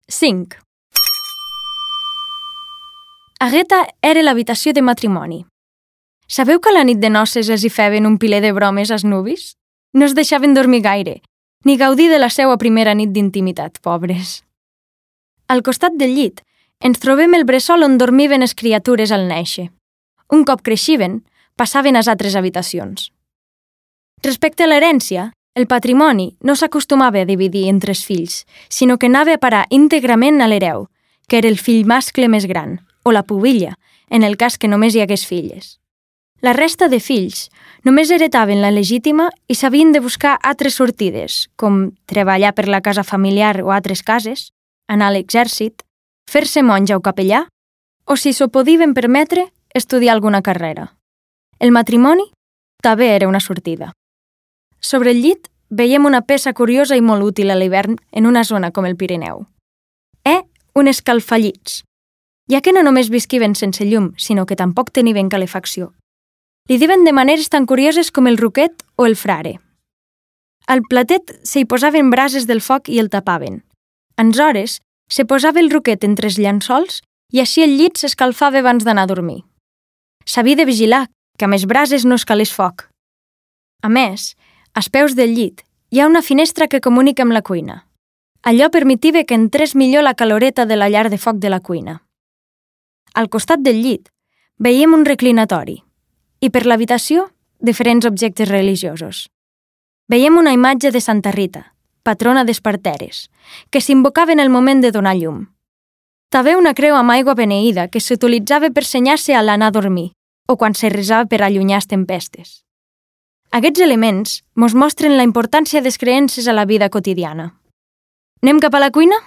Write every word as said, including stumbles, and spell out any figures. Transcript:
cinc. Agueta era l'habitació de matrimoni. Sabeu que a la nit de noces els hi feien un piler de bromes als nuvis? No es deixaven dormir gaire, ni gaudir de la seva primera nit d'intimitat, pobres. Al costat del llit ens trobem el bressol on dormiven les criatures al néixer. Un cop creixiven, passaven a les altres habitacions. Respecte a l'herència, el patrimoni no s'acostumava a dividir entre els fills, sinó que anava a parar íntegrament a l'hereu, que era el fill mascle més gran, o la pubilla, en el cas que només hi hagués filles. La resta de fills només heretaven la legítima i s'havien de buscar altres sortides, com treballar per la casa familiar o altres cases, anar a l'exèrcit, fer-se monja o capellà, o, si s'ho podien permetre, estudiar alguna carrera. El matrimoni també era una sortida. Sobre el llit veiem una peça curiosa i molt útil a l'hivern en una zona com el Pirineu. Eh, un escalfallits, ja que no només visquiven sense llum, sinó que tampoc tenien calefacció. Li diuen de maneres tan curioses com el ruquet o el frare. Al platet s'hi posaven brases del foc i el tapaven. Aleshores, se posava el ruquet entre els llençols i així el llit s'escalfava abans d'anar a dormir. S'havia de vigilar que amb les brases no escalés foc. A més, als peus del llit hi ha una finestra que comunica amb la cuina. Allò permetia que entrés millor la caloreta de la llar de foc de la cuina. Al costat del llit veiem un reclinatori i per l'habitació diferents objectes religiosos. Veiem una imatge de Santa Rita, patrona des parteres, que s'invocava en el moment de donar llum. També una creu amb aigua beneïda que s'utilitzava per senyar-se a l'anar a dormir o quan se resava per allunyar les tempestes. Aquests elements mos mostren la importància de les creences a la vida quotidiana. Anem cap a la cuina?